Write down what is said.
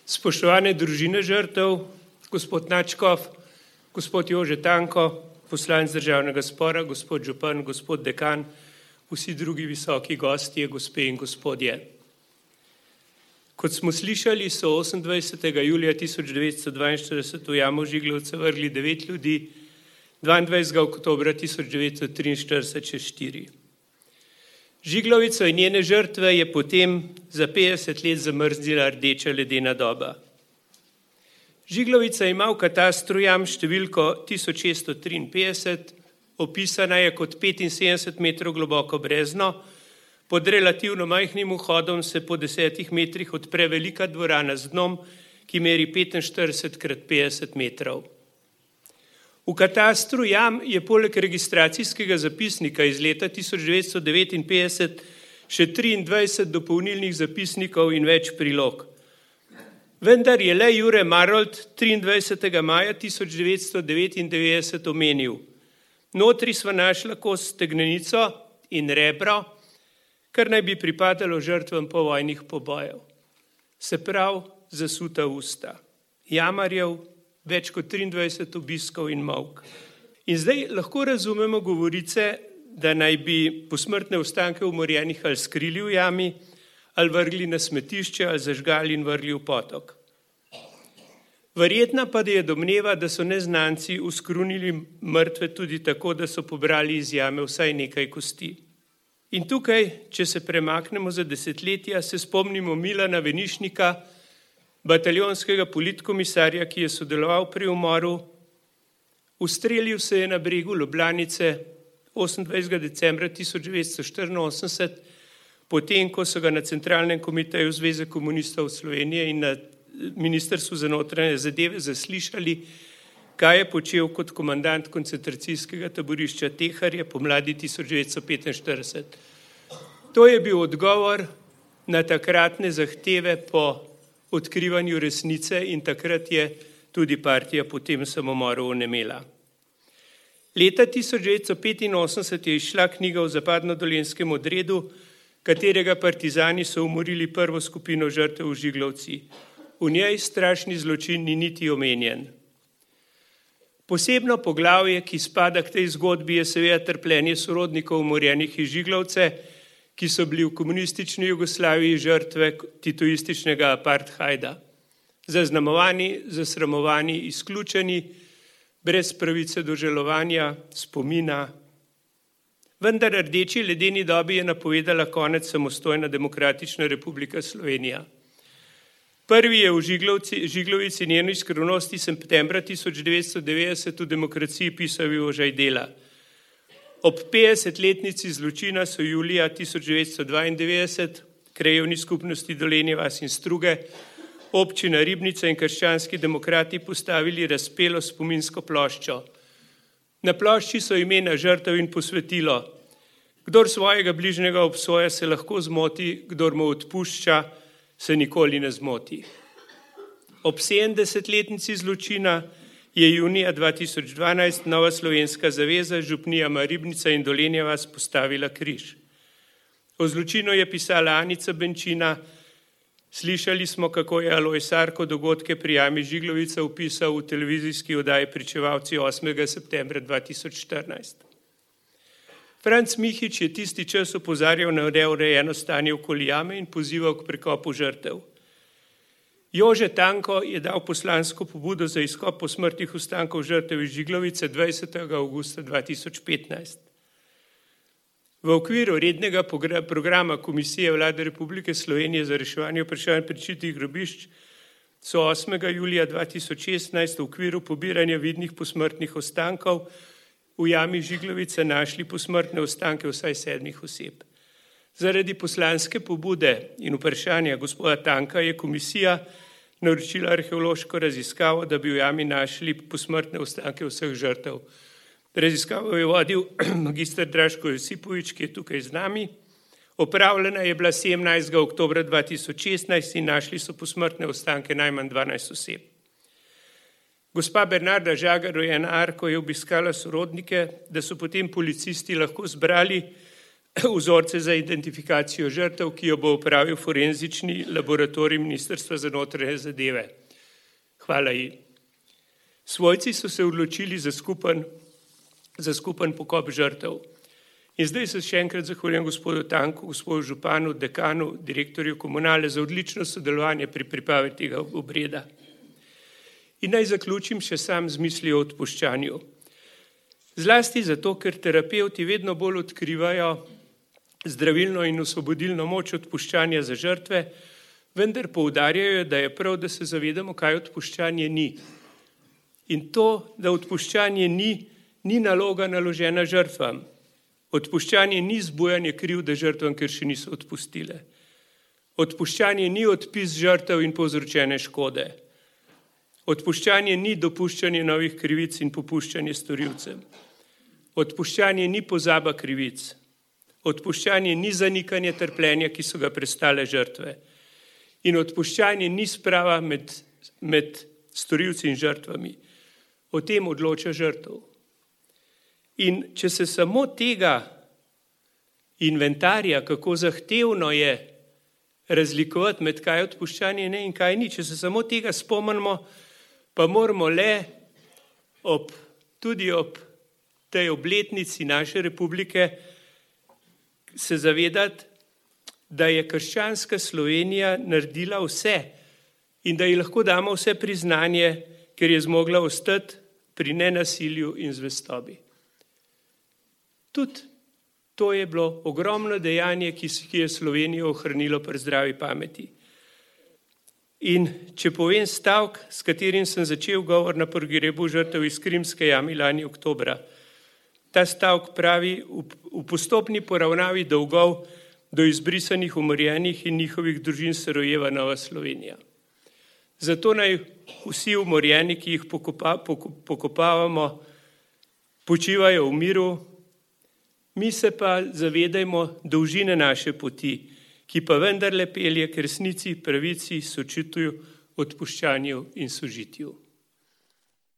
Spoštovane družine žrtev, gospod Načkov, gospod Jože Tanko, poslanec državnega zbora, gospod župan, gospod dekan, vsi drugi visoki gostje, gospe in gospodje. Kot smo slišali, so 28. julija 1942 v jamo Žiglovce vrgli 9 ljudi, 22. oktobra 1943 še 4. Žiglovico in njene žrtve je potem za 50 let zamrznila rdeča ledena doba. Žiglovica ima v katastru jam številko 1653, opisana je kot 75 metrov globoko brezno, pod relativno majhnim vhodom se po 10 metrih odpre velika dvorana z dnom, ki meri 45 krat 50 metrov. V katastru jam je poleg registracijskega zapisnika iz leta 1959 še 23 dopolnilnih zapisnikov in več prilog. Vendar je le Jure Marolt 23. maja 1999 omenil: notri sva našla kos stegnenico in rebro, kar naj bi pripadalo žrtvam povojnih pobojev. Se pravi, zasuta usta. Jamarjev več kot 23 obiskov in molk. In zdaj lahko razumemo govorice, da naj bi posmrtne ostanke umorjenih ali skrili v jami, ali vrgli na smetišče, ali zažgali in vrgli v potok. Verjetna pa je domneva, da so neznanci uskrunili mrtve tudi tako, da so pobrali iz jame vsaj nekaj kosti. In tukaj, če se premaknemo za desetletja, se spomnimo Milana Venišnika, bataljonskega politkomisarja, ki je sodeloval pri umoru. Ustrelil se je na bregu Ljubljanice 28. decembra 1984, potem, ko so ga na Centralnem komiteju Zveze komunistov Slovenije in na Ministrstvu za notranje zadeve zaslišali, kaj je počel kot komandant koncentracijskega taborišča Teharje pomladi 1945. To je bil odgovor na takratne zahteve po odkrivanju resnice in takrat je tudi partija po tem samomoru onemela. Leta 1985 je izšla knjiga o zapadno-dolenjskem odredu, katerega partizani so umorili prvo skupino žrtev v Žiglovci. V njej strašni zločin ni niti omenjen. Posebno poglavje, ki spada k tej zgodbi, je seveda trpljenje sorodnikov umorjenih iz Žiglovce, ki so bili v komunistični Jugoslaviji žrtve titoističnega apartheida. Zaznamovani, zasramovani, izključeni, brez pravice do žalovanja, spomina. Vendar rdeči ledeni dobi je napovedala konec samostojna Demokratična republika Slovenija. Prvi je v Žiglovici njeno skrivnosti septembra 1990 v Demokraciji pisal Jožaj Dela. Ob 50-letnici zločina so julija 1992 krajevni skupnosti Dolenje vas in Struge, občina Ribnica in krščanski demokrati postavili razpelo spominsko ploščo. Na plošči so imena žrtev in posvetilo: kdor svojega bližnjega obsoja, se lahko zmoti, kdor mu odpušča, se nikoli ne zmoti. Ob 70-letnici zločina je junija 2012 Nova slovenska zaveza, župnija Ribnica in Dolenje vas postavila križ. O zločinu je pisala Anica Benčina. Slišali smo, kako je Alojz Arko dogodke pri jami Žiglovica opisal v televizijski oddaji Pričevalci 8. septembra 2014. Franc Mihič je tisti čas opozarjal na neurejeno stanje okoli jame in pozival k prekopu žrtev. Jože Tanko je dal poslansko pobudo za izkop posmrtnih ostankov žrtev iz Žiglovice 20. avgusta 2015. V okviru rednega programa Komisije Vlade Republike Slovenije za reševanje vprašanj prečitih grobišč so 8. julija 2016 v okviru pobiranja vidnih posmrtnih ostankov v jami Žiglovice našli posmrtne ostanke vsaj 7 oseb. Zaradi poslanske pobude in vprašanja gospoda Tanka je komisija naročila arheološko raziskavo, da bi v jami našli posmrtne ostanke vseh žrtev. Raziskavo je vodil magister Draško Josipovič, ki je tukaj z nami. Opravljena je bila 17. oktobra 2016 in našli so posmrtne ostanke najmanj 12 oseb. Gospa Bernarda Žagar, rojena Arko, je obiskala sorodnike, da so potem policisti lahko zbrali vzorce za identifikacijo žrtev, ki jo bo opravil forenzični laboratorij Ministrstva za notranje zadeve. Hvala ji. Svojci so se odločili za skupen pokop žrtev. In zdaj se še enkrat zahvaljujem gospodu Tanku, gospodu županu, dekanu, direktorju komunale za odlično sodelovanje pri pripravi tega obreda. In naj zaključim še sam z mislijo o odpuščanju. Zlasti zato, ker terapevti vedno bolj odkrivajo zdravilno in osvobodilno moč odpuščanja za žrtve, vendar poudarjajo, da je prav, da se zavedamo, kaj odpuščanje ni. In to, da odpuščanje ni naloga naložena žrtvam. Odpuščanje ni zbujanje krivde žrtvam, ker še niso odpustile. Odpuščanje ni odpis žrtev in povzročene škode. Odpuščanje ni dopuščanje novih krivic in popuščanje storilcem. Odpuščanje ni pozaba krivic. Odpuščanje ni zanikanje trpljenja, ki so ga prestale žrtve. In odpuščanje ni sprava med storilci in žrtvami. O tem odloča žrtev. In če se samo tega inventarja, kako zahtevno je razlikovati med kaj odpuščanje ne in kaj ni, če se samo tega spomnimo, pa moramo le tudi ob tej obletnici naše republike se zavedati, da je krščanska Slovenija naredila vse in da ji lahko damo vse priznanje, ker je zmogla ostati pri nenasilju in zvestobi. Tudi to je bilo ogromno dejanje, ki je Slovenijo ohranilo pri zdravi pameti. In če povem stavek, s katerim sem začel govor na pogrebu žrtev iz Krimske jame lani oktobra. Ta stavek pravi: v postopni poravnavi dolgov do izbrisanih, umorjenih in njihovih družin se rojeva nova Slovenija. Zato naj vsi umorjeni, ki jih pokopavamo, počivajo v miru, mi se pa zavedajmo dolžine naše poti, ki pa vendarle pelje k resnici, pravici, sočutju, odpuščanju in sožitju.